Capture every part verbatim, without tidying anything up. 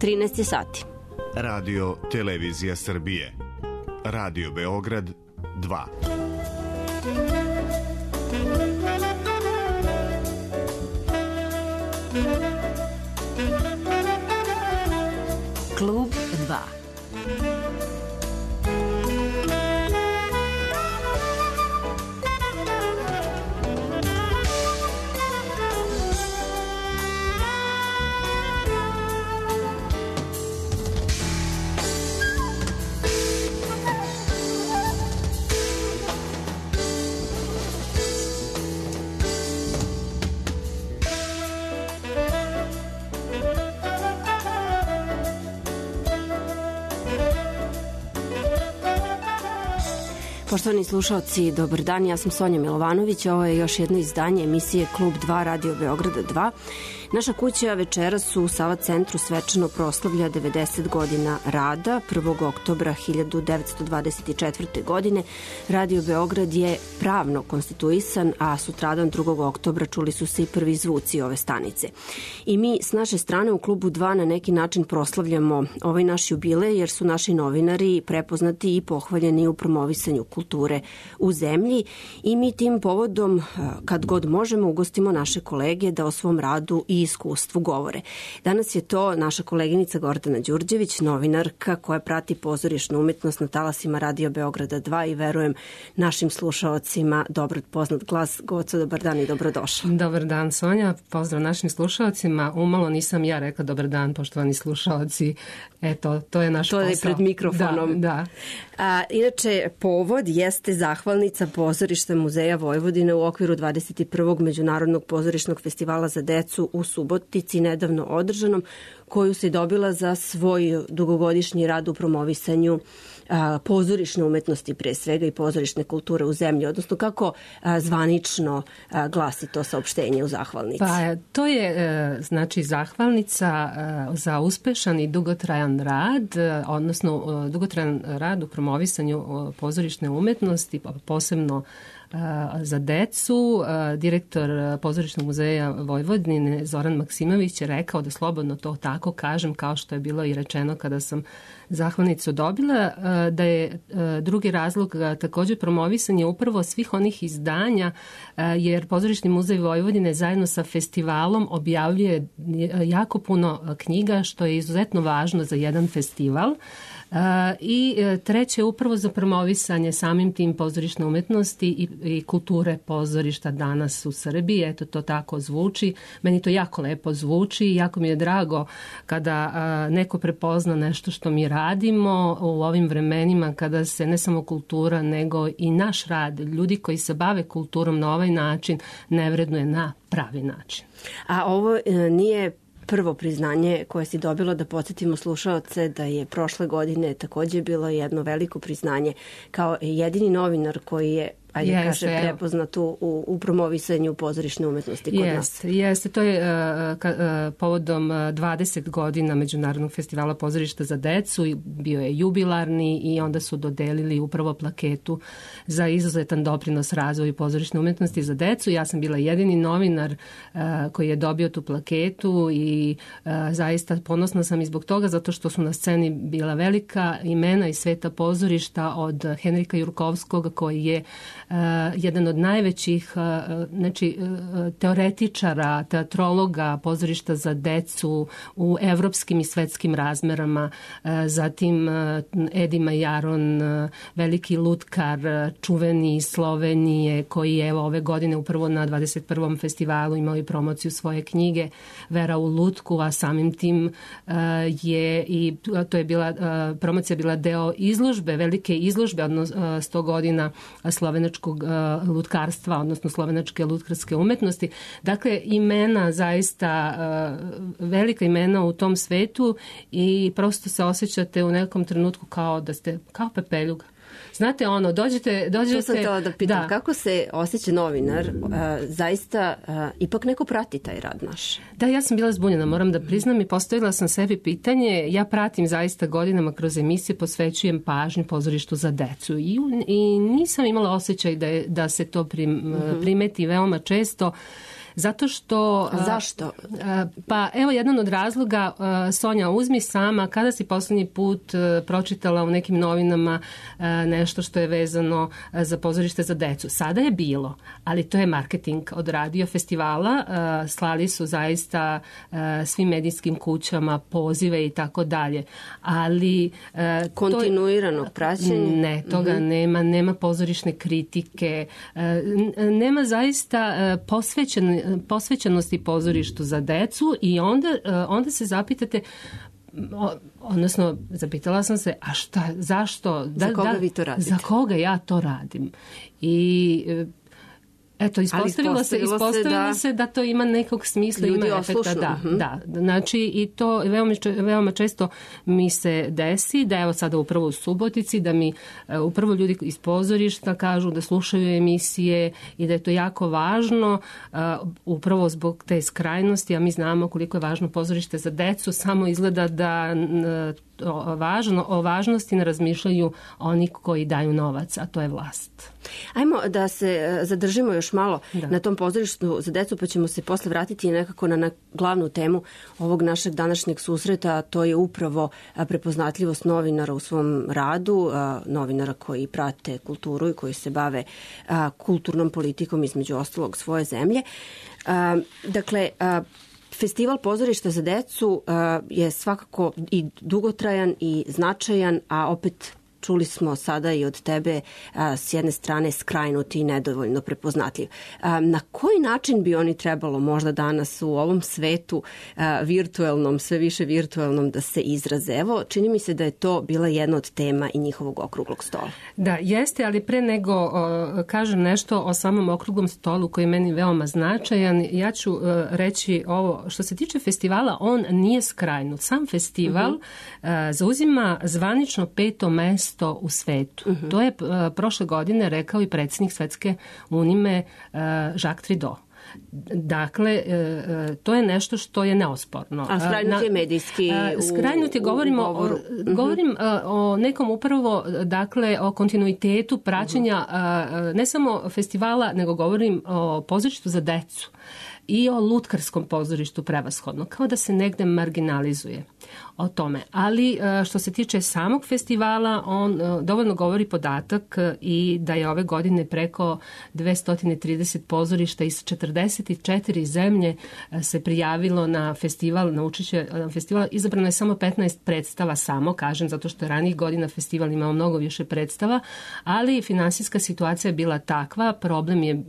trinaest je sati. Radio Televizija Srbije. Radio Beograd dva. Klub dva. Poštovani slušalci, dobar dan, ja sam Sonja Milovanović, ovo je još jedno izdanje emisije Klub dva Radio Beograda dva. Naša kuća večeras u Sava centru svečano proslavlja devedeset godina rada. prvog oktobra hiljadu devetsto dvadeset četvrte. godine Radio Beograd je pravno konstituisan, a sutradan drugog oktobra čuli su se i prvi zvuci ove stanice. I mi s naše strane u Klubu dva na neki način proslavljamo ovaj naš jubilej, jer su naši novinari prepoznati i pohvaljeni u promovisanju kulture u zemlji i mi tim povodom, kad god možemo, ugostimo naše kolege da o svom radu i iskustvu govore. Danas je to naša koleginica Gordana Đurđević, novinarka koja prati pozorišnu umetnost na talasima Radio Beograda dva i verujem našim slušaocima dobro poznat glas. Goco, dobar dan i dobrodošla. Dobar dan, Sonja, pozdrav našim slušaocima. Umalo nisam ja rekla dobar dan, poštovani slušaoci. Eto, to je naš to posao. To je pred mikrofonom. Da, da. A, inače, povod jeste zahvalnica Pozorišta Muzeja Vojvodine u okviru dvadeset prvog Međunarodnog pozorišnog festivala za decu u Subotici, nedavno održanom, koju se dobila za svoj dugogodišnji rad u promovisanju a, pozorišne umetnosti pre svega i pozorišne kulture u zemlji, odnosno kako a, zvanično a, glasi to saopštenje u zahvalnici. Pa to je e, znači zahvalnica e, za uspešan i dugotrajan rad, e, odnosno e, dugotrajan rad u promovisanju e, pozorišne umetnosti, posebno za decu. Direktor Pozorišnog muzeja Vojvodine Zoran Maksimović je rekao da slobodno to tako kažem, kao što je bilo i rečeno kada sam zahvalnicu dobila, da je drugi razlog također promovisanje upravo svih onih izdanja, jer Pozorišni muzej Vojvodine zajedno sa festivalom objavljuje jako puno knjiga, što je izuzetno važno za jedan festival. I treće, upravo za promovisanje samim tim pozorišne umetnosti i, i kulture pozorišta danas u Srbiji. Eto, to tako zvuči. Meni to jako lepo zvuči i jako mi je drago kada a, neko prepozna nešto što mi radimo u ovim vremenima kada se ne samo kultura nego i naš rad, ljudi koji se bave kulturom na ovaj način ne vrednuje na pravi način. A ovo e, nije prvo priznanje koje si dobilo, da podsjetimo slušaoce da je prošle godine također bilo jedno veliko priznanje kao jedini novinar koji je ajde yes, kaže, evo. prepoznat u, u promovisanju pozorišne umetnosti kod yes, nas. Jeste, to je uh, ka, uh, povodom dvadeset godina Međunarodnog festivala pozorišta za decu i bio je jubilarni i onda su dodelili upravo plaketu za izuzetan doprinos razvoju pozorišne umetnosti za decu. Ja sam bila jedini novinar uh, koji je dobio tu plaketu i uh, zaista ponosna sam i zbog toga, zato što su na sceni bila velika imena iz sveta pozorišta, od Henrika Jurkovskog koji je Uh, jedan od najvećih uh, znači, uh, teoretičara, teatrologa pozorišta za decu u evropskim i svetskim razmerama. Uh, zatim uh, Edi Majaron, uh, veliki lutkar, uh, čuveni iz Slovenije, koji je evo, ove godine upravo na dvadeset prvom festivalu imao i promociju svoje knjige Vera u lutku, a samim tim uh, je i to je bila, uh, promocija bila deo izložbe, velike izložbe, odnosno uh, sto godina slovenačkog lutkarstva, odnosno slovenačke lutkarske umetnosti. Dakle, imena, zaista velika imena u tom svetu i prosto se osjećate u nekom trenutku kao da ste, kao pepeljuga. Znate, ono, dođete... dođete to sam htjela da pitam, da. Kako se osjeća novinar? Uh, zaista, uh, ipak neko prati taj rad naš. Da, ja sam bila zbunjena, moram da priznam, i postavila sam sebi pitanje. Ja pratim zaista godinama kroz emisije, posvećujem pažnju pozorištu za decu i, i nisam imala osjećaj da, je, da se to prim, mm-hmm. primeti veoma često. Zato što... Zašto? Pa evo jedan od razloga, Sonja, uzmi sama, kada si poslednji put pročitala u nekim novinama nešto što je vezano za pozorište za decu? Sada je bilo, ali to je marketing od radio festivala. Slali su zaista svim medijskim kućama pozive i tako dalje. Ali... Kontinuiranog praćenja? Ne, toga mm-hmm. nema. Nema pozorišne kritike. Nema zaista posvećen, posvećenosti pozorištu za decu i onda, onda se zapitate, odnosno zapitala sam se, a šta, zašto? Da, za koga da, vi to radite? Za koga ja to radim? I... Eto, ispostavilo, ispostavilo, se, ispostavilo se, se da to ima nekog smisla, ljudi ima efekta. Da, uh-huh. da. Znači, i to veoma, veoma često mi se desi, da evo sada upravo u Subotici, da mi upravo ljudi iz pozorišta kažu da slušaju emisije i da je to jako važno, uh, upravo zbog te skrajnosti, a mi znamo koliko je važno pozorište za decu, samo izgleda da uh, o, važno, o važnosti ne razmišljaju oni koji daju novac, a to je vlast. Ajmo da se zadržimo još malo da. na tom pozorištu za decu, pa ćemo se posle vratiti nekako na, na glavnu temu ovog našeg današnjeg susreta, a to je upravo prepoznatljivost novinara u svom radu, novinara koji prate kulturu i koji se bave kulturnom politikom između ostalog svoje zemlje. Dakle, Festival pozorišta za decu je svakako i dugotrajan i značajan, a opet čuli smo sada i od tebe a, s jedne strane skrajnuti i nedovoljno prepoznatljiv. A, na koji način bi oni trebalo možda danas u ovom svetu a, virtuelnom, sve više virtuelnom da se izraze? Evo, čini mi se da je to bila jedna od tema i njihovog okruglog stola. Da, jeste, ali pre nego o, kažem nešto o samom okruglom stolu koji je meni veoma značajan, ja ću o, reći ovo, što se tiče festivala, on nije skrajnut. Sam festival uh-huh. a, zauzima zvanično peto mesto u svetu. Uh-huh. To je uh, prošle godine rekao i predsjednik Svetske unije uh, Jacques Trido. Dakle, uh, to je nešto što je neosporno. A skrajnut je medijski uh, Skrajnut je, govorimo, o, uh-huh. govorim uh, o nekom upravo, dakle, o kontinuitetu praćenja uh-huh. uh, ne samo festivala, nego govorim o pozorištu za decu i o lutkarskom pozorištu prevashodno, kao da se negde marginalizuje o tome. Ali što se tiče samog festivala, on dovoljno govori podatak i da je ove godine preko dvesta trideset pozorišta iz četrdeset četiri zemlje se prijavilo na festival, na učešće na festival. Izabrano je samo petnaest predstava, samo kažem, zato što je ranijih godina festival imao mnogo više predstava, ali finansijska situacija je bila takva, problem je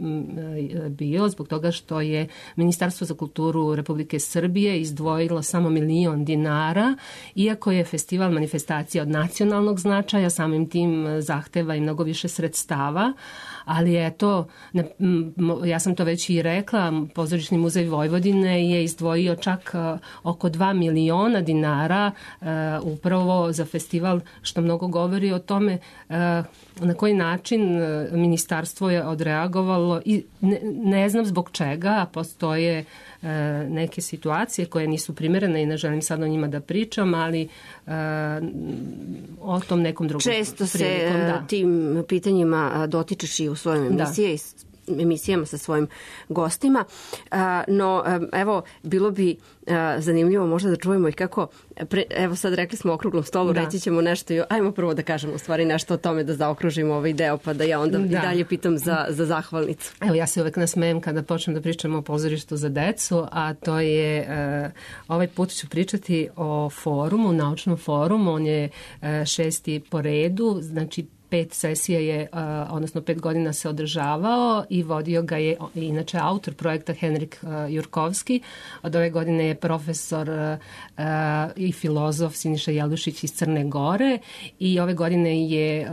bio zbog toga što je Ministarstvo za kulturu Republike Srbije izdvojilo samo milion dinara, iako je festival manifestacija od nacionalnog značaja, samim tim zahteva i mnogo više sredstava, ali je to, ja sam to već i rekla, Pozorišni muzej Vojvodine je izdvojio čak oko dva miliona dinara upravo za festival, što mnogo govori o tome na koji način ministarstvo je odreagovalo i ne, ne znam zbog čega, postoje neke situacije koje nisu primerene i ne želim sad o njima da pričam, ali uh, o tom nekom drugom Često prilikom, se da. tim pitanjima dotičeš i u svojoj emisiji, da. emisijama sa svojim gostima. Uh, no, um, evo, bilo bi uh, zanimljivo možda da čujemo i kako, pre, evo sad rekli smo o okruglom stolu, da. reći ćemo nešto i ajmo prvo da kažemo u stvari nešto o tome da zaokružimo ovaj deo, pa da ja onda da. i dalje pitam za, za zahvalnicu. Evo, ja se uvek nasmejem kada počnem da pričam o pozorištu za decu, a to je, uh, ovaj put ću pričati o forumu, naučnom forumu, on je uh, šesti po redu, znači pet sesija je, odnosno pet godina se održavao i vodio ga je inače autor projekta Henrik Jurkovski. Od ove godine je profesor i filozof Siniša Jelušić iz Crne Gore i ove godine je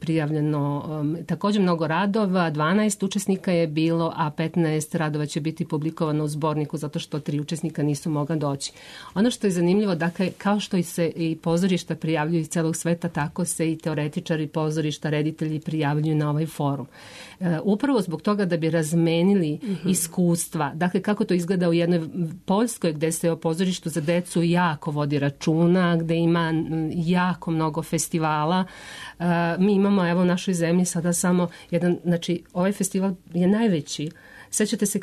prijavljeno također mnogo radova, dvanaest učesnika je bilo, a petnaest radova će biti publikovano u zborniku zato što tri učesnika nisu mogla doći. Ono što je zanimljivo, dakle, kao što i se i pozorišta prijavljuju iz celog sveta, tako se i teoretičari pozorišta, reditelji prijavljuju na ovaj forum. E, upravo zbog toga da bi razmenili mm-hmm. iskustva. Dakle, kako to izgleda u jednoj Poljskoj gde se o pozorištu za decu jako vodi računa, gde ima jako mnogo festivala. E, mi imamo, evo, u našoj zemlji sada samo jedan, znači, ovaj festival je najveći sećate se,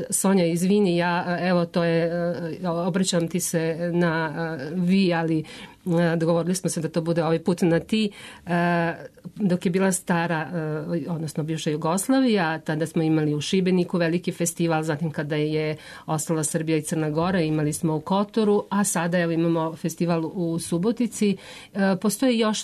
Sonja, izvini, ja, evo, to je, obraćam ti se na vi, ali dogovorili smo se da to bude ovaj put na ti. Dok je bila stara, odnosno bivša Jugoslavija, tada smo imali u Šibeniku veliki festival, zatim kada je ostala Srbija i Crna Gora, imali smo u Kotoru, a sada evo imamo festival u Subotici. Postoje još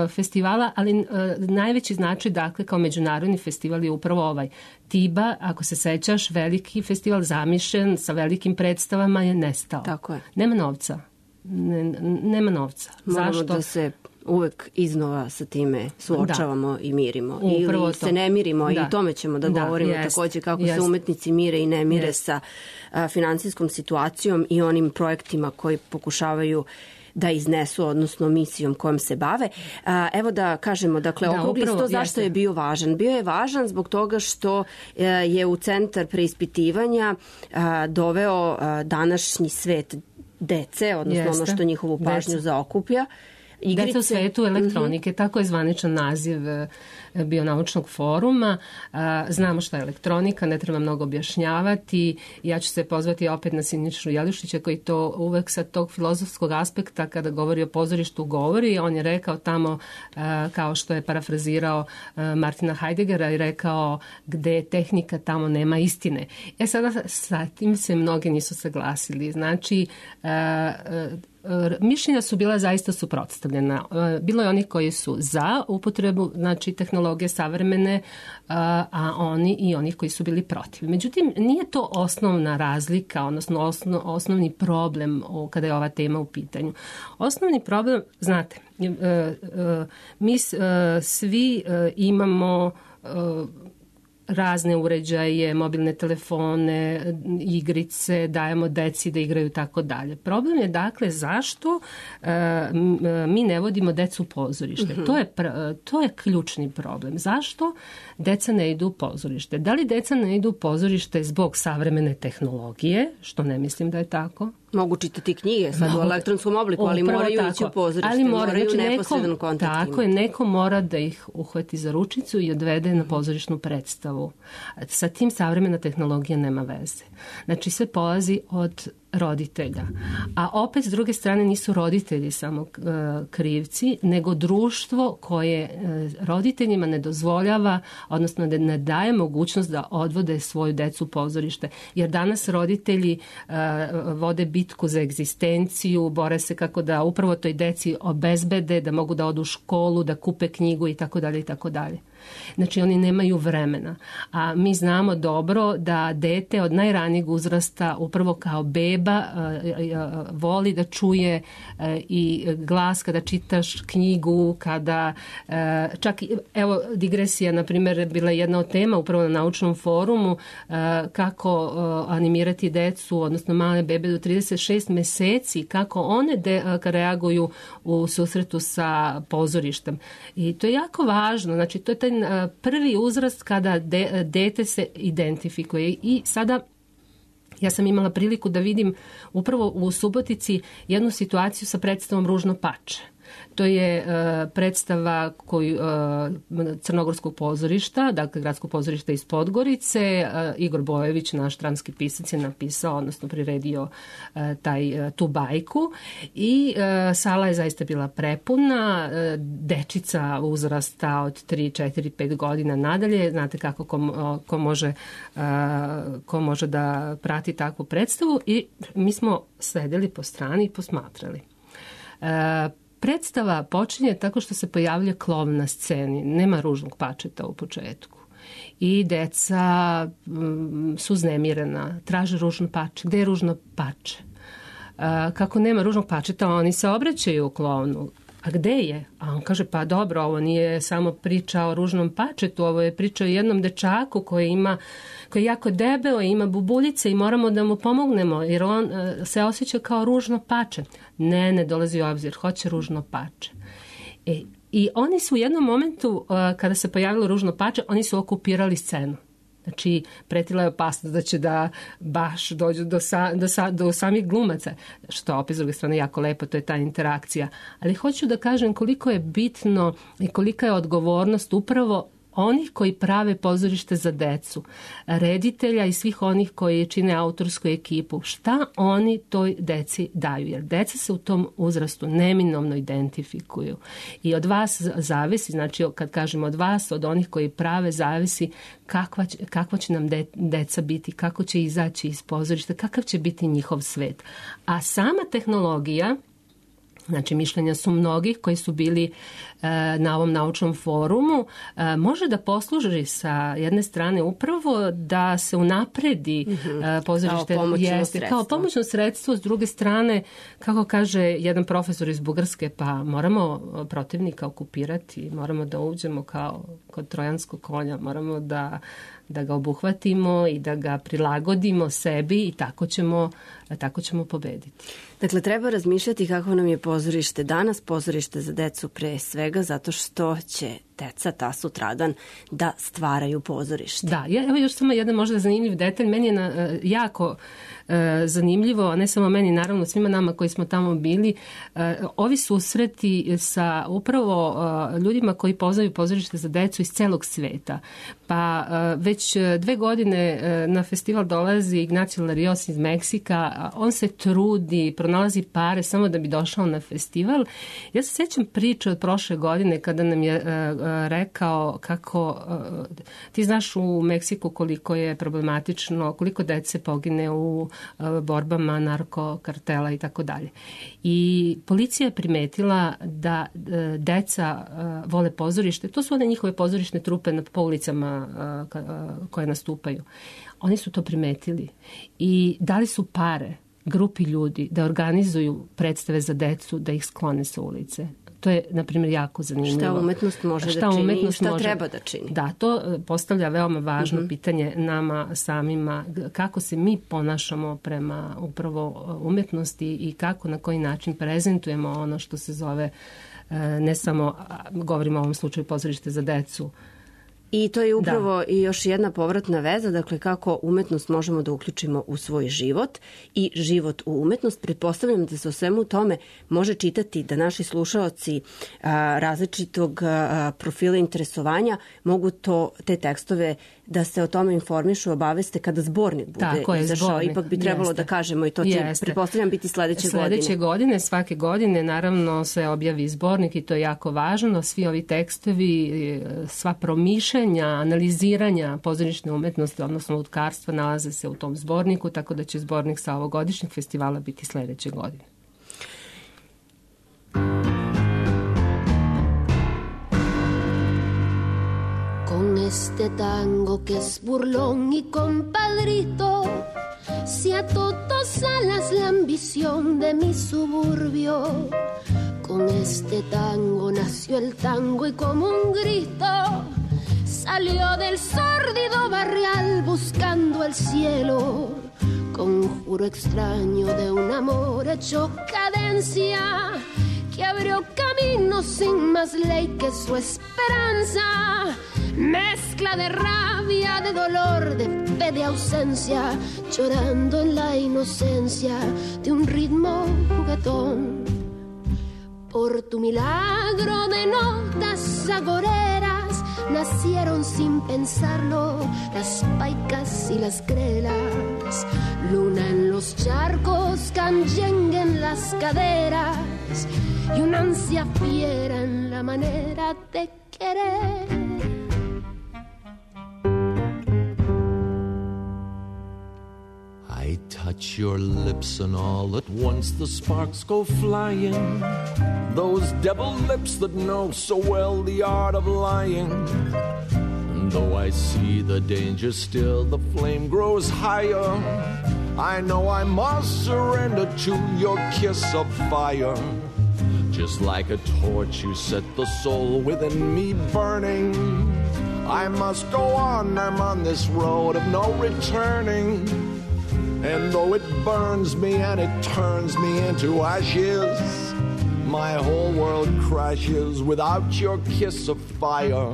festivala, ali najveći značaj, dakle, kao međunarodni festival je upravo ovaj. Tiba, ako se sećaš, veliki festival zamišljen sa velikim predstavama je nestao. Tako je. Nema novca. Ne, nema novca. Moramo Zašto? da se uvek iznova sa time suočavamo da. i mirimo. Upravo Ili to. se ne mirimo da. i tome ćemo da, da govorimo jest, takođe kako jest. se umetnici mire i ne mire jest. sa a, finansijskom situacijom i onim projektima koji pokušavaju da iznesu, odnosno misijom kojom se bave. A, evo da kažemo, dakle, da, okrugli sto zašto jeste. je bio važan? Bio je važan zbog toga što a, je u centar preispitivanja a, doveo a, današnji svet dece, odnosno Jeste. ono što njihovu pažnju Deca. zaokuplja. Igrice. Deca u svetu elektronike, mm-hmm. tako je zvaničan naziv Bionaučnog foruma. Znamo šta je elektronika, ne treba mnogo objašnjavati. Ja ću se pozvati opet na Sinišu Jelišića koji to uvek sa tog filozofskog aspekta kada govori o pozorištu govori. On je rekao tamo, kao što je parafrazirao Martina Heideggera i rekao gde je tehnika, tamo nema istine. E sada sa tim se mnogi nisu saglasili. Znači, mišljenja su bila zaista suprotstavljena. Bilo je onih koji su za upotrebu, znači, tehnologije savremene, a oni i onih koji su bili protiv. Međutim, nije to osnovna razlika, odnosno osno, osnovni problem kada je ova tema u pitanju. Osnovni problem, znate, mi svi imamo razne uređaje, mobilne telefone, igrice, dajemo deci da igraju tako dalje. Problem je, dakle, zašto e, mi ne vodimo decu u pozorište. Mm-hmm. To je, to je ključni problem. Zašto deca ne idu u pozorište? Da li deca ne idu u pozorište zbog savremene tehnologije, što ne mislim da je tako? Mogu čitati knjige sad Mogu, u elektronskom obliku, ali moraju tako. ići u pozorište, ali mora, moraju znači neposredan kontakt. Tako je, neko mora da ih uhvati za ručicu i odvede na pozorišnu predstavu. Sa tim savremena tehnologija nema veze. Znači sve polazi od roditelja. A opet, s druge strane, nisu roditelji samo uh, krivci, nego društvo koje uh, roditeljima ne dozvoljava, odnosno da ne daje mogućnost da odvode svoju decu u pozorište. Jer danas roditelji uh, vode bitku za egzistenciju, bore se kako da upravo toj deci obezbede, da mogu da odu u školu, da kupe knjigu i tako dalje i tako dalje. Znači, oni nemaju vremena. A mi znamo dobro da dete od najranijeg uzrasta upravo kao beba voli da čuje i glas kada čitaš knjigu, kada čak, evo, digresija, na primjer, bila jedna od tema upravo na naučnom forumu, kako animirati decu, odnosno male bebe do trideset šest meseci, kako one de, reaguju u susretu sa pozorištem. I to je jako važno. Znači, to je taj prvi uzrast kada de, dete se identifikuje. I sada ja sam imala priliku da vidim upravo u Subotici jednu situaciju sa predstavom Ružno pače. To je uh, predstava koju, uh, Crnogorskog pozorišta, dakle gradskog pozorišta iz Podgorice. Uh, Igor Bojević, naš dramski pisac, je napisao, odnosno priredio uh, taj, uh, tu bajku. I uh, sala je zaista bila prepuna. Uh, dečica uzrasta od tri, četiri, pet godina nadalje. Znate kako ko, ko, može, uh, ko može da prati takvu predstavu. I mi smo sedeli po strani i posmatrali. Uh, Predstava počinje tako što se pojavlja klov na sceni. Nema ružnog pačeta u početku. I deca um, su uznemirena, traže ružno pače. Gde je ružno pače? Uh, kako nema ružnog pačeta, oni se obraćaju klovnu. A gde je? A on kaže, pa dobro, ovo nije samo priča o ružnom pačetu, ovo je priča o jednom dečaku koji ima, koji je jako debeo i ima bubuljice i moramo da mu pomognemo, jer on uh, se osjeća kao ružno pače. Ne, ne dolazi u obzir, hoće ružno pače. E, I oni su u jednom momentu, uh, kada se pojavilo ružno pače, oni su okupirali scenu. Znači, pretila je opasnost da će da baš dođu do, sa, do, sa, do samih glumaca, što opet s druge strane jako lepo, to je ta interakcija. Ali hoću da kažem koliko je bitno i kolika je odgovornost upravo onih koji prave pozorište za decu, reditelja i svih onih koji čine autorsku ekipu, šta oni toj deci daju, jer deca se u tom uzrastu neminovno identifikuju i od vas zavisi, znači kad kažemo od vas, od onih koji prave, zavisi kakva će, kakva će nam de, deca biti, kako će izaći iz pozorišta, kakav će biti njihov svet. A sama tehnologija, znači mišljenja su mnogih koji su bili e, na ovom naučnom forumu, e, može da posluži sa jedne strane upravo da se unapredi mm-hmm. e, pozorište kao pomoćno jeste, sredstvo. Kao pomoćno sredstvo, s druge strane, kako kaže jedan profesor iz Bugarske, pa moramo protivnika okupirati, moramo da uđemo kao kod trojanskog konja, moramo da da ga obuhvatimo i da ga prilagodimo sebi i tako ćemo, tako ćemo pobediti. Dakle, treba razmišljati kako nam je pozorište danas, pozorište za decu pre svega, zato što će deca ta sutradan da stvaraju pozorište. Da, evo još samo jedan možda zanimljiv detalj. Meni je na, jako e, zanimljivo, a ne samo meni, naravno svima nama koji smo tamo bili, e, ovi susreti sa upravo e, ljudima koji poznaju pozorište za decu iz celog sveta. Pa e, već dve godine e, na festival dolazi Ignacio Larios iz Meksika, on se trudi, pronalazi pare samo da bi došao na festival. Ja se sjećam priče od prošle godine kada nam je e, rekao kako, ti znaš u Meksiku koliko je problematično, koliko dece pogine u borbama narkokartela i tako dalje. I policija je primetila da deca vole pozorište, to su one njihove pozorišne trupe po ulicama koje nastupaju. Oni su to primetili i dali su pare grupi ljudi da organizuju predstave za decu, da ih sklone sa ulice. To je, na primjer, jako zanimljivo. Šta umetnost može šta da čini i šta može, treba da čini. Da, to postavlja veoma važno mm-hmm. pitanje nama samima. Kako se mi ponašamo prema upravo umetnosti i kako, na koji način prezentujemo ono što se zove, ne samo, govorimo o ovom slučaju pozorište za decu, I to je upravo da. I još jedna povratna veza, dakle kako umetnost možemo da uključimo u svoj život i život u umetnost. Pretpostavljam da se o svemu tome može čitati, da naši slušaoci a, različitog a, profila interesovanja mogu to, te tekstove da se o tome informišu, obaveste kada zbornik bude Tako je, izašao. Zbornik. Ipak bi trebalo Jeste. Da kažemo i to će, Jeste. Pretpostavljam, biti sledeće, sledeće godine. Sledeće godine, svake godine, naravno se objavi zbornik i to je jako važno. Svi ovi tekstovi, sva promišljanja, analiziranja pozorišne umetnosti, odnosno lutkarstva, nalaze se u tom zborniku, tako da će zbornik sa ovogodišnjeg festivala biti sledeće godine. Con este tango que es burlón y compadrito, si a todos alas la ambición de mi suburbio. Con este tango nació el tango y como un grito salió del sórdido barrial buscando el cielo. Conjuro extraño de un amor hecho cadencia que abrió camino sin más ley que su esperanza. Mezcla de rabia, de dolor, de fe, de ausencia, llorando en la inocencia de un ritmo juguetón. Por tu milagro de notas agoreras nacieron sin pensarlo las paicas y las grelas. Luna en los charcos, canyengue en las caderas y una ansia fiera en la manera de querer. I touch your lips and all at once the sparks go flying. Those devil lips that know so well the art of lying. And though I see the danger still, the flame grows higher. I know I must surrender to your kiss of fire. Just like a torch you set the soul within me burning. I must go on, I'm on this road of no returning. And though it burns me and it turns me into ashes, my whole world crashes without your kiss of fire.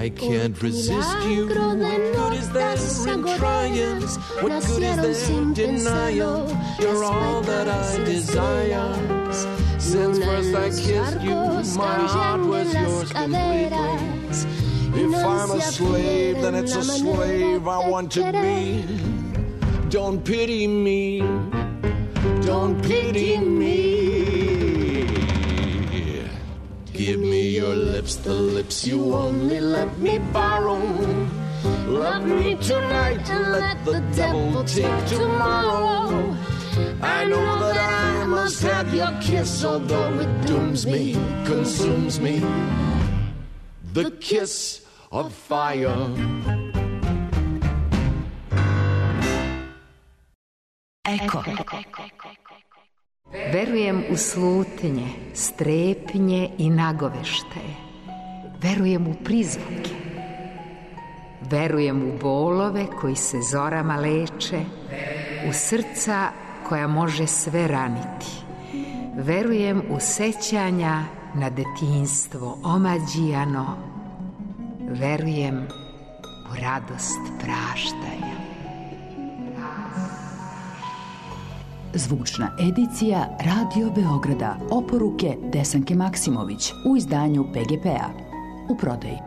I can't resist you. What good is there in trying? What good is there in denial? You're all that I desire. Since first I kissed you, my heart was yours completely. If I'm a slave, then it's a slave I want to be. Don't pity me. Don't pity me. Give me your lips, the lips you only let me borrow. Love me tonight and let the devil take tomorrow. I know that I must have your kiss, although it dooms me, consumes me. The kiss of fire. Eko. Verujem u slutnje, strepnje i nagoveštaje. Verujem u prizvuke. Verujem u bolove koji se zorama leče, u srca koja može sve raniti. Verujem u sećanja na detinjstvo omađijano. Verujem u radost praštanja. Zvučna edicija Radio Beograda. Oporuke Desanke Maksimović u izdanju P G P-a. U prodaji.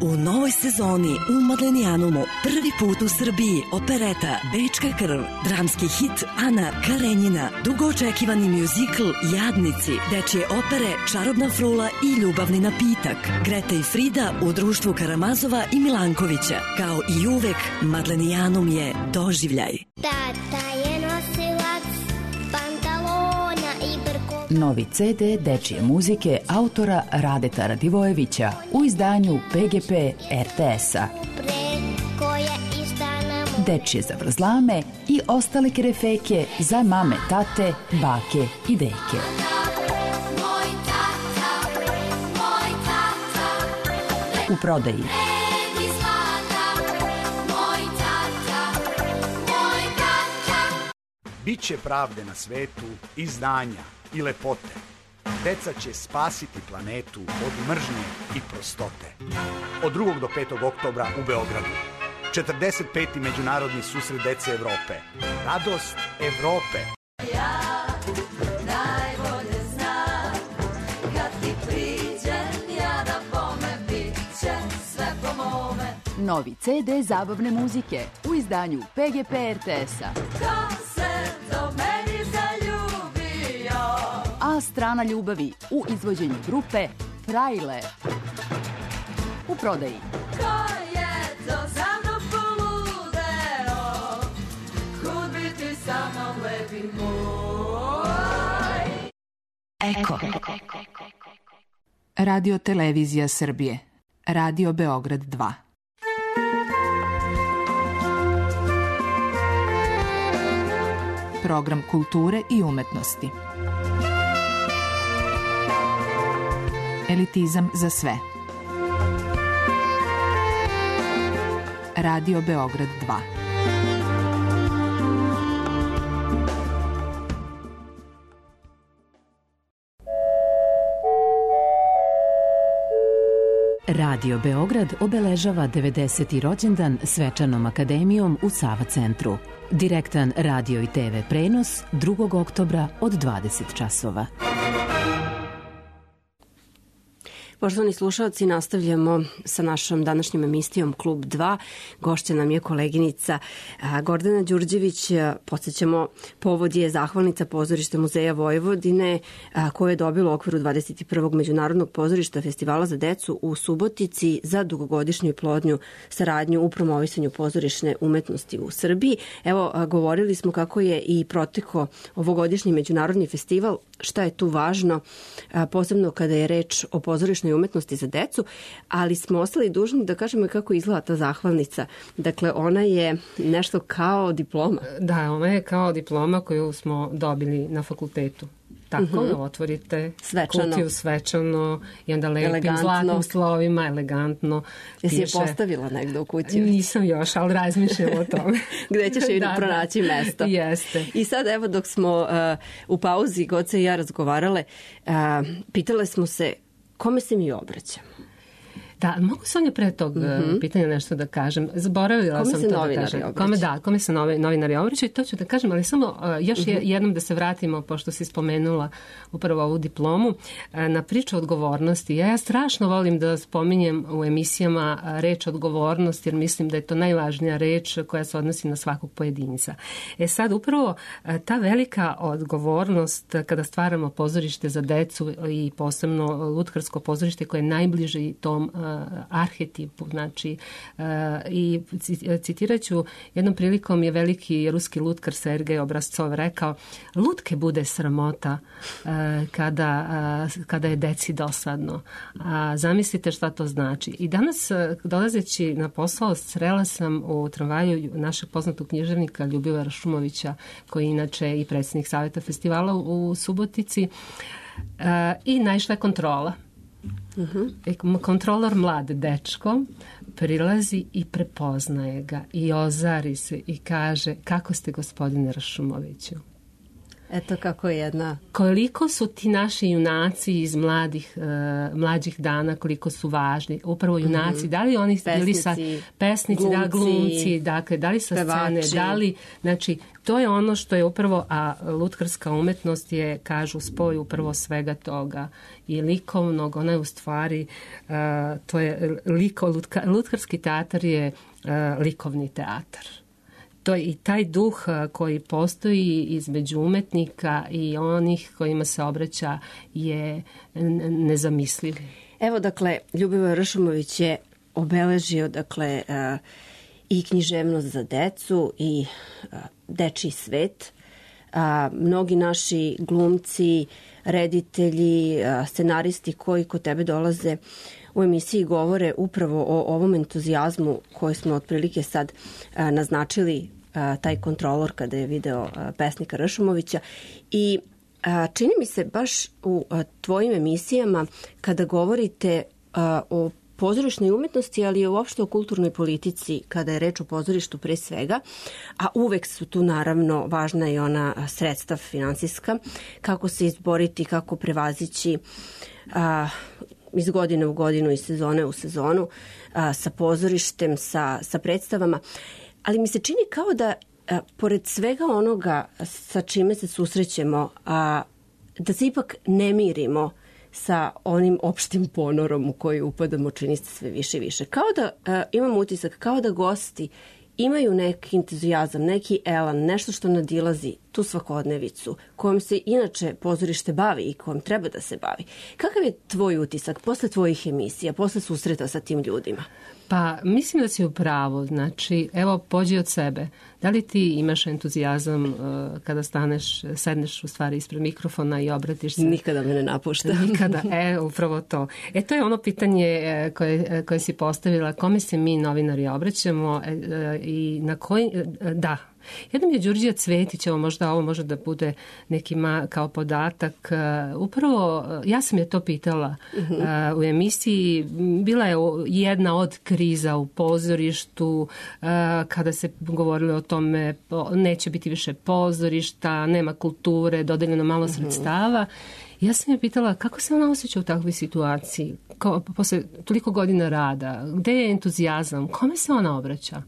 U novoj sezoni u Madlenijanumu prvi put u Srbiji opereta Bečka krv, dramski hit Ana Karenjina, dugo očekivani mjuzikl Jadnici, dečje opere Čarobna frula i Ljubavni napitak, Greta i Frida u društvu Karamazova i Milankovića. Kao i uvek, Madlenijanum je doživljaj. Tata je nosilac pantalona i brko. Novi C D dečje muzike autora Radeta Radivojevića u izdanju P G P R T S-a. Dečje zavrzlame i ostale kerefeke za mame, tate, bake i deke. U prodaji. Biće pravde na svetu i znanja i lepote. Deca će spasiti planetu od mržnje i prostote. Od drugog do petog oktobra u Beogradu. četrdeset peti Međunarodni susret dece Evrope. Radost Evrope. Ja najbolje znam, kad ti priđem, ja da bome, bit će sve po mome. Novi C D zabavne muzike u izdanju P G P R T S-a. Ko se do meni zaljubio? A strana ljubavi u izvođenju grupe Frajle. U prodaji. Ko je to za mnom poludeo? Kud bi ti sa mnom lepi moj? Eko. Radio Televizija Srbije. Radio Beograd dva. Program kulture i umetnosti. Elitizam za sve. Radio Beograd dva. Radio Beograd obeležava devedeseti rođendan svečanom akademijom u Sava centru. Direktan radio i te ve prenos drugog oktobra od dvadeset časova. Poštovani slušalci, nastavljamo sa našom današnjom emisijom Klub dva. Gošća nam je koleginica Gordana Đurđević. Podsjećamo, povod je zahvalnica Pozorišta Muzeja Vojvodine koje je dobilo u okviru dvadeset prvog Međunarodnog pozorišta Festivala za decu u Subotici za dugogodišnju i plodnju saradnju u promovisanju pozorišne umetnosti u Srbiji. Evo, govorili smo kako je i proteko ovogodišnji međunarodni festival. Šta je tu važno, posebno kada je reč o pozorišnoj umetnosti za decu, ali smo ostali dužni da kažemo kako izgleda ta zahvalnica. Dakle, ona je nešto kao diploma. Da, ona je kao diploma koju smo dobili na fakultetu. Tako, uh-huh. Otvorite svečano. Kutiju svečano i onda lepim elegantno. Zlatnim slovima, elegantno. Jesi je postavila negde u kutiju? Nisam još, ali razmišljam o tome. Gde ćeš joj da, pronaći da. Mesto. Jeste. I sad, evo, dok smo uh, u pauzi, Goce i ja razgovarale, uh, pitale smo se kome se mi obraćamo. Da, mogu Sonja pre tog mm-hmm. pitanja nešto da kažem. Zaboravila kome sam se to da kažem. Kome da, kome se novi, novinari obraćaju, to ću da kažem, ali samo uh, još mm-hmm. jednom da se vratimo, pošto si spomenula upravo ovu diplomu, uh, na priču odgovornosti. Ja, ja strašno volim da spominjem u emisijama uh, reč odgovornost, jer mislim da je to najvažnija reč koja se odnosi na svakog pojedinca. E sad, upravo uh, ta velika odgovornost uh, kada stvaramo pozorište za decu i posebno lutkarsko pozorište koje je najbliže tom uh, arhetipu, znači uh, i citirat ću, jednom prilikom je veliki ruski lutkar Sergej Obrazcov rekao, lutke bude sramota uh, kada, uh, kada je deci dosadno. A zamislite šta to znači. I danas, uh, dolazeći na posao, srela sam u tramvaju našeg poznatog književnika Ljubivara Šumovića, koji je inače i predsjednik Saveta festivala u, u Subotici, uh, i naišla je kontrola. Uh-huh. Kontrolor mlad dečko prilazi i prepoznaje ga i ozari se i kaže, kako ste gospodine Rašumoviću? Eto kako je jedna... Koliko su ti naši junaci iz mladih, uh, mlađih dana, koliko su važni. Upravo junaci, mm-hmm. da li oni pesnici, bili sa pesnici, glumci, da, glumci, dakle, da li sa pevači. Scene, da li, znači, to je ono što je upravo, a lutkarska umetnost je, kažu, spoj upravo svega toga i likovnog, ona je u stvari, uh, to je liko, lutka, lutkarski teatar je uh, likovni teatar. To je i taj duh koji postoji između umetnika i onih kojima se obraća je nezamisliv. Evo, dakle, Ljubivoje Ršumović je obeležio, dakle, uh, i književnost za decu i uh, dečiji svet. Uh, mnogi naši glumci, reditelji, uh, scenaristi koji kod tebe dolaze u emisiji govore upravo o ovom entuzijazmu koji smo otprilike sad a, naznačili, a, taj kontrolor kada je video a, pesnika Ršumovića. I a, čini mi se baš u a, tvojim emisijama kada govorite a, o pozorišnoj umetnosti, ali i uopšte o kulturnoj politici kada je reč o pozorištu pre svega, a uvek su tu naravno važna i ona sredstva finansijska, kako se izboriti, kako prevazići a, iz godine u godinu i sezone u sezonu a, sa pozorištem, sa, sa predstavama. Ali mi se čini kao da a, pored svega onoga sa čime se susrećemo, a, da se ipak ne mirimo sa onim opštim ponorom u koji upadamo, čini se sve više i više. Kao da a, imam utisak, kao da gosti imaju neki entuzijazam, neki elan, nešto što nadilazi tu svakodnevicu kojom se inače pozorište bavi i kojom treba da se bavi. Kakav je tvoj utisak posle tvojih emisija, posle susreta sa tim ljudima? Pa mislim da si u pravu. Znači, evo, pođi od sebe. Da li ti imaš entuzijazam uh, kada staneš, sedneš u stvari ispred mikrofona i obratiš se? Nikada me ne napušta. Nikada, e, upravo to. E, to je ono pitanje koje, koje si postavila, kome se mi novinari obraćamo e, e, i na koji, e, da, jednom je Đurđija Cvetić, evo možda ovo može da bude neki ma, kao podatak. Uh, upravo, ja sam je to pitala uh-huh. uh, u emisiji. Bila je jedna od kriza u pozorištu uh, kada se govorilo o tome neće biti više pozorišta, nema kulture, dodeljeno malo uh-huh. sredstava. Ja sam je pitala kako se ona osjeća u takvoj situaciji, Ko, posle toliko godina rada, gde je entuzijazam, kome se ona obraća?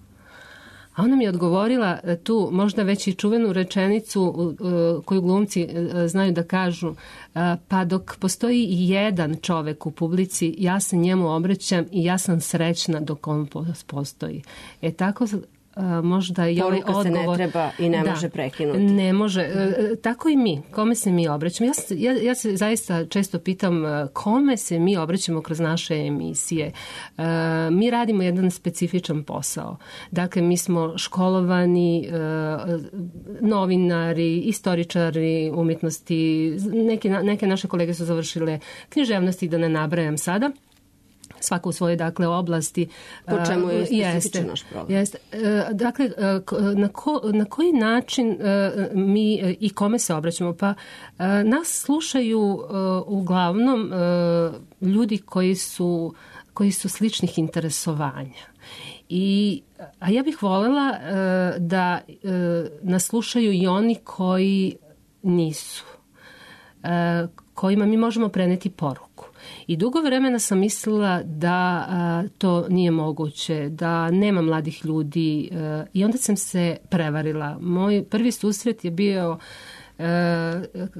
A ona mi je odgovorila tu možda već i čuvenu rečenicu koju glumci znaju da kažu, pa dok postoji i jedan čovek u publici, ja se njemu obraćam i ja sam srećna dok on postoji. E tako možda i ovaj odgovor... Poruka se ne treba i ne da, može prekinuti. Ne može. Tako i mi. Kome se mi obraćamo? Ja, ja, ja se zaista često pitam kome se mi obraćamo kroz naše emisije. Uh, mi radimo jedan specifičan posao. Dakle, mi smo školovani uh, novinari, istoričari umjetnosti. Neke, neke naše kolege su završile književnosti, da ne nabrajam sada. Svako u svojoj, dakle, oblasti. Po čemu je specifičan naš program? Jeste. Dakle, na, ko, na koji način mi i kome se obraćamo? Pa nas slušaju uglavnom ljudi koji su, koji su sličnih interesovanja. I, a ja bih voljela da nas slušaju i oni koji nisu, kojima mi možemo preneti poruku. I dugo vremena sam mislila da a, to nije moguće, da nema mladih ljudi a, i onda sam se prevarila. Moj prvi susret je bio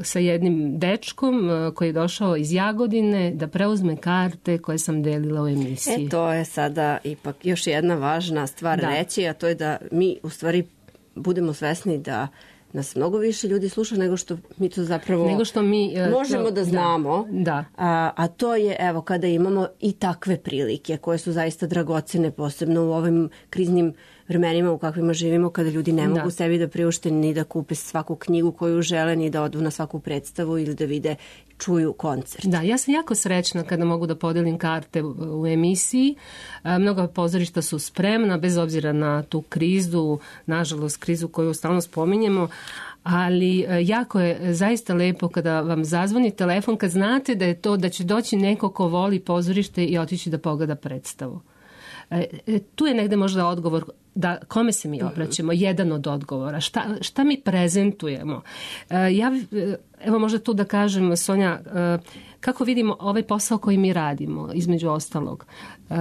sa jednim dečkom koji je došao iz Jagodine da preuzme karte koje sam delila u emisiji. E, to je sada ipak još jedna važna stvar da. reći, a to je da mi u stvari budemo svesni da nas mnogo više ljudi sluša nego što mi to zapravo nego što mi, možemo to, da znamo. Da, da. A, a to je, evo, kada imamo i takve prilike koje su zaista dragocene, posebno u ovim kriznim vremenima u kakvima živimo, kada ljudi ne mogu da. sebi da priušte ni da kupe svaku knjigu koju žele, ni da odu na svaku predstavu ili da vide, čuju koncert. Da, ja sam jako srećna kada mogu da podelim karte u emisiji. Mnoga pozorišta su spremna, bez obzira na tu krizu, nažalost krizu koju stalno spominjemo, ali jako je zaista lepo kada vam zazvoni telefon, kad znate da je to, da će doći neko ko voli pozorište i otići da pogleda predstavu. E, tu je negde možda odgovor da kome se mi obraćamo, jedan od odgovora, šta, šta mi prezentujemo. E, ja, evo možda tu da kažem, Sonja, e, kako vidimo ovaj posao koji mi radimo, između ostalog. E,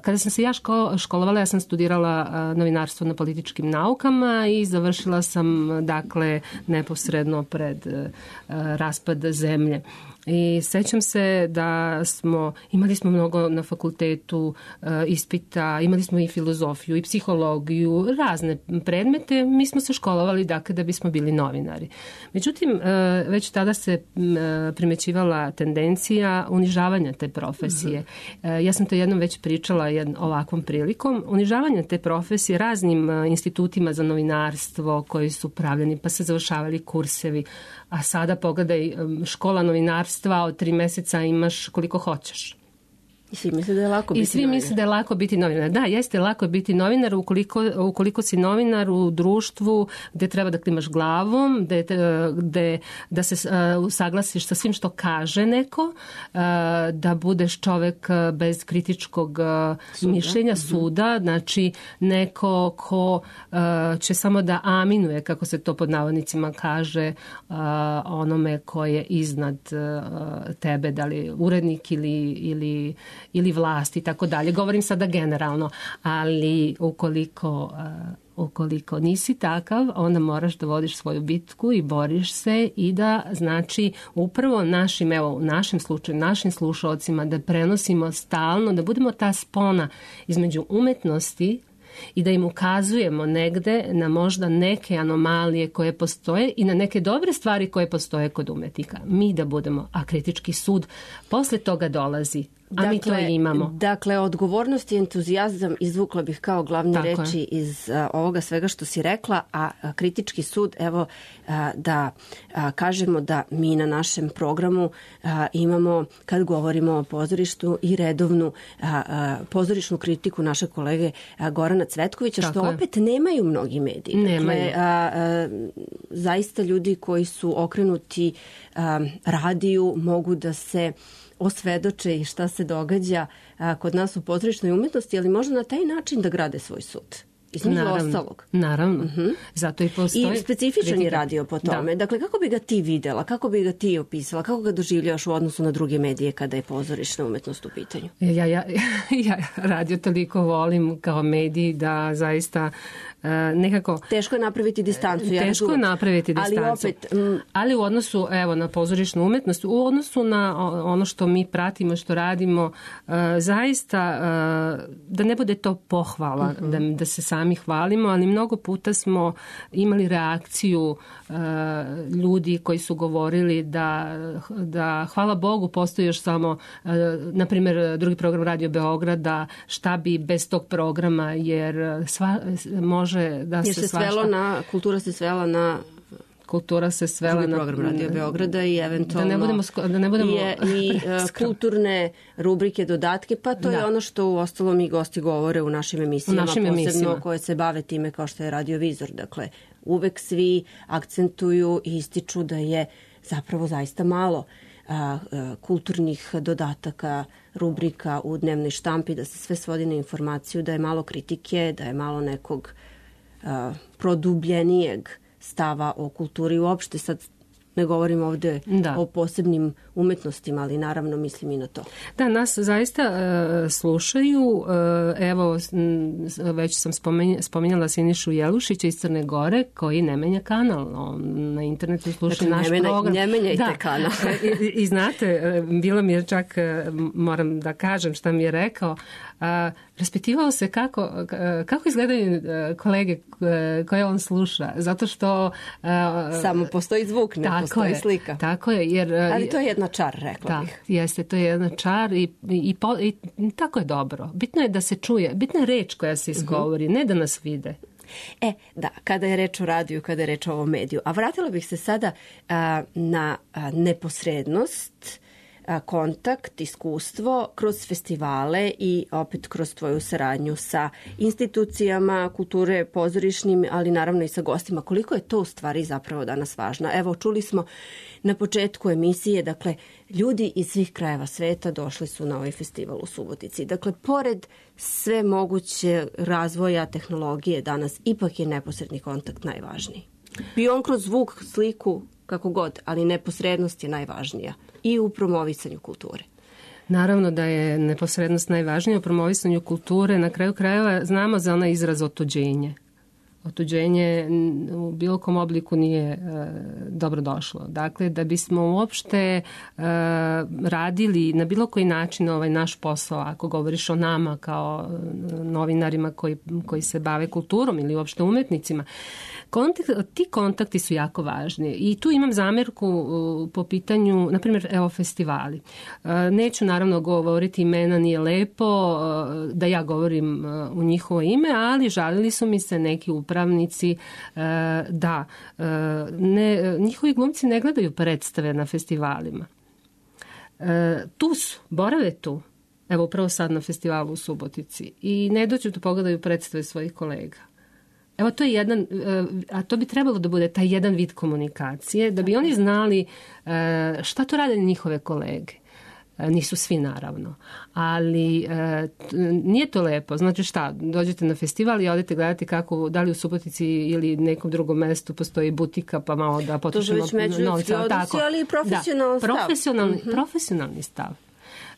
kada sam se ja ško, školovala, ja sam studirala e, novinarstvo na političkim naukama i završila sam, dakle, neposredno pred e, raspad zemlje. I sećam se da smo, imali smo mnogo na fakultetu e, ispita, imali smo i filozofiju i psihologiju, razne predmete. Mi smo se školovali, dakle, da bismo bili novinari. Međutim, e, već tada se e, primećivala tendencija unižavanja te profesije. E, ja sam to jednom već pričala jedn, ovakvom prilikom. Unižavanje te profesije raznim e, institutima za novinarstvo koji su pravljeni, pa se završavali kursevi. A sada pogledaj, škola novinarstva, od tri meseca imaš koliko hoćeš. I svi misle da je lako biti I svi novinar. misle da je lako biti novinar. Da, jeste lako je biti novinar ukoliko, ukoliko si novinar u društvu gde treba da klimaš glavom, gde, gde, da se uh, usaglasiš sa svim što kaže neko, uh, da budeš čovek bez kritičkog uh, mišljenja, suda, znači neko ko uh, će samo da aminuje, kako se to pod navodnicima kaže, uh, onome ko je iznad uh, tebe, da li urednik ili, ili ili vlast i tako dalje. Govorim sada generalno, ali ukoliko, uh, ukoliko nisi takav, onda moraš da vodiš svoju bitku i boriš se i da, znači, upravo našim, evo, u našem slučaju, našim slušalcima da prenosimo stalno, da budemo ta spona između umetnosti i da im ukazujemo negde na možda neke anomalije koje postoje i na neke dobre stvari koje postoje kod umetnika. Mi da budemo, a kritički sud posle toga dolazi. A dakle, mi to i imamo. Dakle, odgovornost i entuzijazam izvukla bih kao glavne Tako reči je. iz a, ovoga svega što si rekla, a, a kritički sud, evo, a, da a, kažemo da mi na našem programu a, imamo, kad govorimo o pozorištu, i redovnu a, a, pozorišnu kritiku naše kolege a, Gorana Cvetkovića, Tako što je. opet nemaju mnogi mediji. Nemaju. Dakle, a, a, zaista ljudi koji su okrenuti a, radiju mogu da se osvedoče i šta se događa a, kod nas u pozorišnoj umetnosti, ali možda na taj način da grade svoj sud. Između ostalog. Naravno. Uh-huh. Zato i postoji. I specifičan kritika. je radio po tome. Da. Dakle, kako bi ga ti videla, kako bi ga ti opisala, kako ga doživljavaš u odnosu na druge medije kada je pozorišna umetnost u pitanju? Ja, ja, ja radio toliko volim kao mediji da zaista uh, nekako... Teško je napraviti distancu. Ja Teško je napraviti distancu. Ali opet... M... Ali u odnosu, evo, na pozorišnu umetnost, u odnosu na ono što mi pratimo, što radimo, uh, zaista uh, da ne bude to pohvala, uh-huh. da, da se sami hvalimo, ali mnogo puta smo imali reakciju uh, ljudi koji su govorili da, da hvala Bogu postoji još samo, uh, na primjer, drugi program Radio Beograda, šta bi bez tog programa, jer sva, može da jer se, se svašta... svelo na, kultura se svela na kultura se svela drugi program na Radio Beograda i eventualno da ne budemo, da ne budemo i, i uh, kulturne rubrike, dodatke, pa to da. je ono što u ostalom i gosti govore u našim emisijama, u našim posebno emisijama. Koje se bave time kao što je radiovizor. Dakle, uvek svi akcentuju i ističu da je zapravo zaista malo a, a, kulturnih dodataka, rubrika u dnevnoj štampi, da se sve svodi na informaciju, da je malo kritike, da je malo nekog a, produbljenijeg stava o kulturi uopšte. Sad ne govorim ovde da. o posebnim umetnostima, ali naravno mislim i na to. Da, nas zaista uh, slušaju. Uh, evo, već sam spomenjala, spomenjala Sinišu Jelušića iz Crne Gore, koji ne menja kanal. On na internetu sluša dakle, naš ne program. Ne menjajte da. kanal. I, I znate, bilo mi je čak, moram da kažem šta mi je rekao, uh, raspitivao se kako, kako izgledaju kolege koje on sluša, zato što uh, samo postoji zvuk, ne postoji je, slika. Tako je, jer ali to je jedna čar, rekla da, bih. Jeste, to je jedna čar i, i, i, i tako je dobro. Bitno je da se čuje, bitna je reč koja se izgovori, uh-huh. ne da nas vide. E, da, kada je reč o radiju, kada je reč o ovom mediju. A vratila bih se sada a, na a, neposrednost, a, kontakt, iskustvo kroz festivale i opet kroz tvoju saradnju sa institucijama kulture, pozorišnim, ali naravno i sa gostima. Koliko je to u stvari zapravo danas važno? Evo, čuli smo na početku emisije, dakle, ljudi iz svih krajeva sveta došli su na ovaj festival u Subotici. Dakle, pored sve moguće razvoja tehnologije danas, ipak je neposredni kontakt najvažniji. Bio on kroz zvuk, sliku, kako god, ali neposrednost je najvažnija i u promovisanju kulture. Naravno da je neposrednost najvažnija u promovisanju kulture. Na kraju krajeva znamo za onaj izraz otuđenje. Otuđenje u bilo kom obliku nije e, dobro došlo. Dakle, da bismo uopšte e, radili na bilo koji način ovaj naš posao, ako govoriš o nama kao novinarima koji, koji se bave kulturom ili uopšte umetnicima, kontakt, ti kontakti su jako važni. I tu imam zamerku uh, po pitanju, na primjer, evo, festivali. Uh, neću naravno govoriti imena, nije lepo uh, da ja govorim uh, u njihovo ime, ali žalili su mi se neki upravnici uh, da uh, ne, njihovi glumci ne gledaju predstave na festivalima. Uh, tu su, borave tu. Evo, upravo sad na festivalu u Subotici. I ne dođu da pogledaju predstave svojih kolega. Evo, to je jedan, a to bi trebalo da bude taj jedan vid komunikacije, da bi oni znali šta to rade njihove kolege. Nisu svi, naravno, ali nije to lepo. Znači šta, dođete na festival i odete gledati kako, da li u Subotici ili nekom drugom mestu postoji butika, pa malo da potrošimo novca. Odnosi, ali i profesionalni da, stav. Profesionalni, uh-huh. profesionalni stav.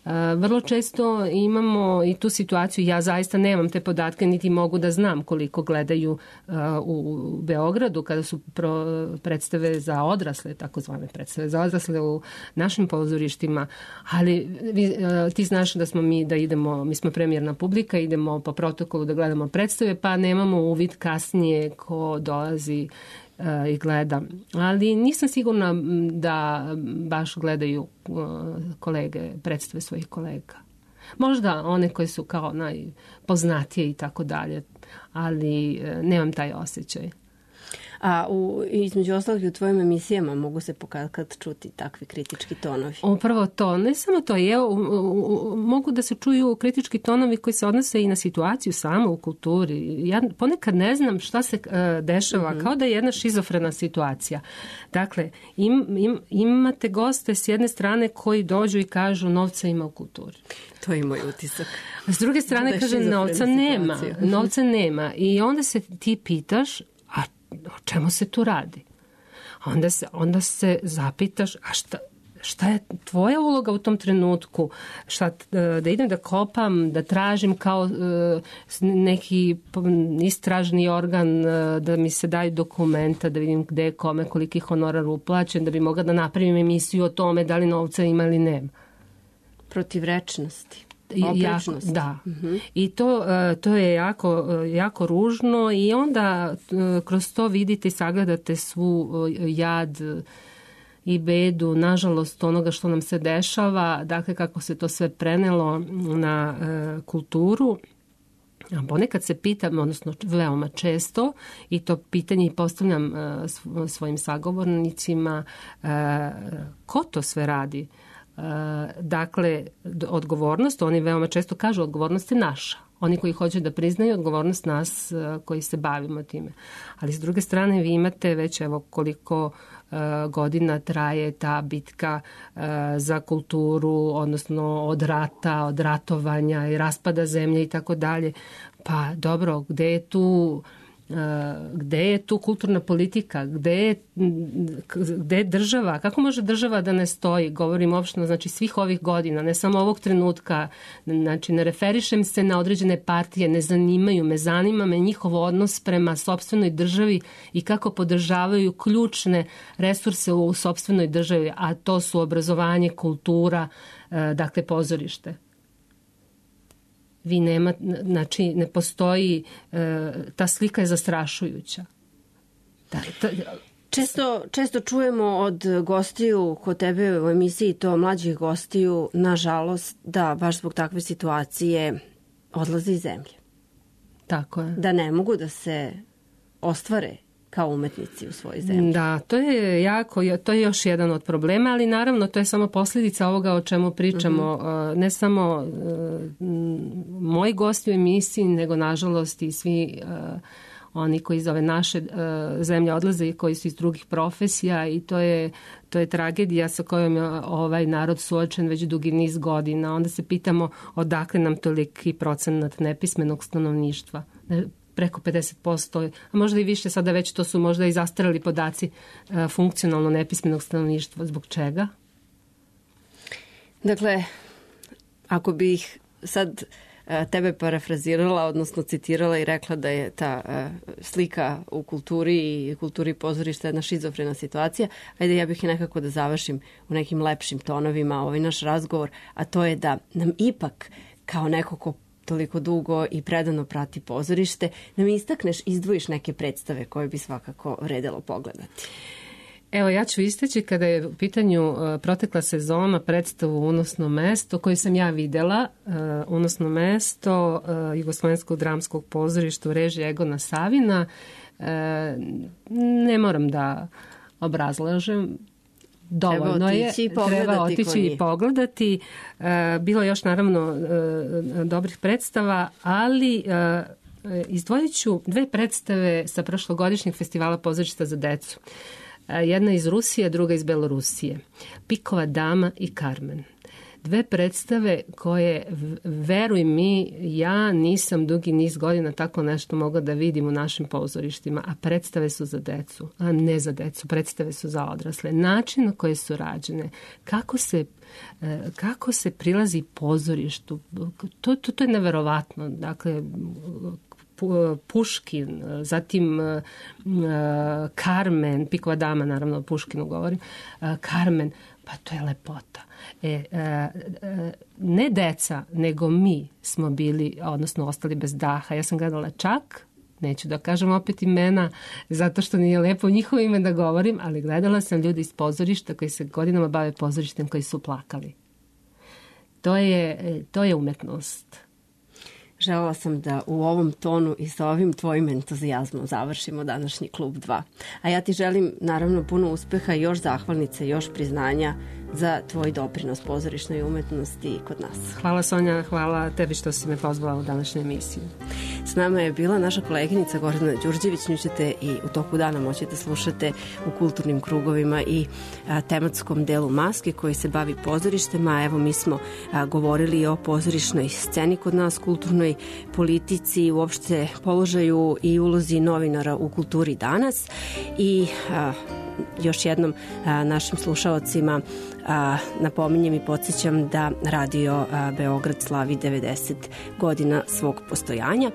Uh, vrlo često imamo i tu situaciju, ja zaista nemam te podatke, niti mogu da znam koliko gledaju uh, u Beogradu kada su pro, predstave za odrasle, takozvane predstave za odrasle u našim pozorištima, ali vi, uh, ti znaš da smo mi, da idemo, mi smo premijerna publika, idemo po protokolu da gledamo predstave, pa nemamo uvid kasnije ko dolazi i gleda. Ali nisam sigurna da baš gledaju kolege, predstave svojih kolega. Možda one koje su kao najpoznatije i tako dalje, ali nemam taj osjećaj. A u, između ostalih u tvojim emisijama mogu se pokad čuti takvi kritički tonovi? Upravo to. Ne samo to. Je, u, u, mogu da se čuju kritički tonovi koji se odnose i na situaciju samo u kulturi. Ja ponekad ne znam šta se uh, dešava, mm-hmm. kao da je jedna šizofrena situacija. Dakle, im, im, imate goste s jedne strane koji dođu i kažu novca ima u kulturi. To je moj utisak. S druge strane kaže novca nema. Novca nema. I onda se ti pitaš, a o čemu se tu radi? Onda se, onda se zapitaš, a šta, šta je tvoja uloga u tom trenutku? Šta, da idem da kopam, da tražim kao neki istražni organ, da mi se daju dokumenta, da vidim gde je kome, koliki honorar uplaćen, da bi mogla da napravim emisiju o tome da li novca ima ili nema. Protivrečnosti. Jako, da. Uh-huh. I to, to je jako, jako ružno i onda kroz to vidite i sagledate svu jad i bedu, nažalost, onoga što nam se dešava, dakle kako se to sve prenelo na uh, kulturu. A ponekad se pitam, odnosno veoma često, i to pitanje i postavljam uh, svojim sagovornicima, uh, ko to sve radi? Dakle, odgovornost, oni veoma često kažu odgovornost je naša. Oni koji hoće da priznaju odgovornost nas koji se bavimo time. Ali s druge strane vi imate već evo koliko uh, godina traje ta bitka uh, za kulturu, odnosno od rata, od ratovanja i raspada zemlje i tako dalje. Pa dobro, gde je tu gde je tu kulturna politika, gde je, gde je država, kako može država da ne stoji, govorim opšteno, znači svih ovih godina, ne samo ovog trenutka, znači ne referišem se na određene partije, ne zanimaju me, zanima me njihov odnos prema sopstvenoj državi i kako podržavaju ključne resurse u sopstvenoj državi, a to su obrazovanje, kultura, dakle pozorište. Vi nema, znači ne postoji, ta slika je zastrašujuća. Da, ta, Često, često čujemo od gostiju kod tebe u emisiji, to mlađih gostiju, nažalost, da baš zbog takve situacije odlaze iz zemlje. Tako je. Da ne mogu da se ostvare kao umetnici u svojoj zemlji. Da, to je jako, to je još jedan od problema, ali naravno to je samo posljedica ovoga o čemu pričamo. Mm-hmm. Ne samo moji gosti u emisiji, nego nažalost i svi oni koji iz ove naše zemlje odlaze i koji su iz drugih profesija i to je, to je tragedija sa kojom je ovaj narod suočen već dugi niz godina. Onda se pitamo odakle nam toliki procenat nepismenog stanovništva. Preko pedeset posto, a možda i više, sada već to su možda i zastarali podaci funkcionalno nepismenog stanovništva. Zbog čega? Dakle, ako bih sad tebe parafrazirala, odnosno citirala i rekla da je ta slika u kulturi i kulturi pozorišta jedna šizofrena situacija, ajde ja bih nekako da završim u nekim lepšim tonovima ovaj naš razgovor, a to je da nam ipak kao neko ko toliko dugo i predano prati pozorište, nam istakneš, izdvojiš neke predstave koje bi svakako vredelo pogledati. Evo, ja ću istaći kada je u pitanju uh, protekla sezona predstavu Unosno mesto, koju sam ja videla, uh, Unosno mesto uh, Jugoslovenskog dramskog pozorišta u režiji Egona Savina. Uh, ne moram da obrazlažem, dovoljno treba je, otići treba otići i pogledati. Uh, bilo je još naravno uh, dobrih predstava, ali uh, izdvojit ću dve predstave sa prošlogodišnjeg festivala pozorišta za decu. Jedna iz Rusije, druga iz Belorusije. Pikova dama i Carmen. Dve predstave koje, veruj mi, ja nisam dugi niz godina tako nešto mogla da vidim u našim pozorištima, a predstave su za decu, a ne za decu, predstave su za odrasle. Način na koje su rađene, kako se, kako se prilazi pozorištu, to, to, to je neverovatno. Dakle, Puškin, zatim Carmen, Pikova dama, naravno o Puškinu govorim, Carmen, pa to je lepota. E, ne deca, nego mi smo bili, odnosno ostali bez daha. Ja sam gledala čak, neću da kažem opet imena, zato što nije lepo u njihovo ime da govorim, ali gledala sam ljudi iz pozorišta koji se godinama bave pozorištem, koji su plakali. To je, to je umetnost. Želela sam da u ovom tonu i sa ovim tvojim entuzijazmom završimo današnji Klub dva. A ja ti želim naravno puno uspeha i još zahvalnice, još priznanja za tvoj doprinos pozorišnoj umetnosti kod nas. Hvala Sonja, hvala tebi što si me pozvala u današnju emisiju. S nama je bila naša koleginica Gordana Đurđević, nju ćete i u toku dana moći da slušate u kulturnim krugovima i a, tematskom delu Maske koji se bavi pozorištem, a evo mi smo a, govorili o pozorišnoj sceni kod nas, kulturnoj politici, uopšte položaju i ulozi novinara u kulturi danas i a, još jednom a, našim slušalcima a, napominjem i podsjećam da Radio a, Beograd slavi devedeset godina svog postojanja,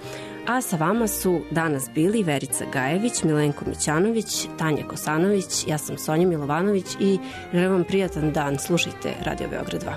a sa vama su danas bili Verica Gajević, Milenko Mićanović, Tanja Kosanović, ja sam Sonja Milovanović i želim vam prijatan dan, slušajte Radio Beograd dva.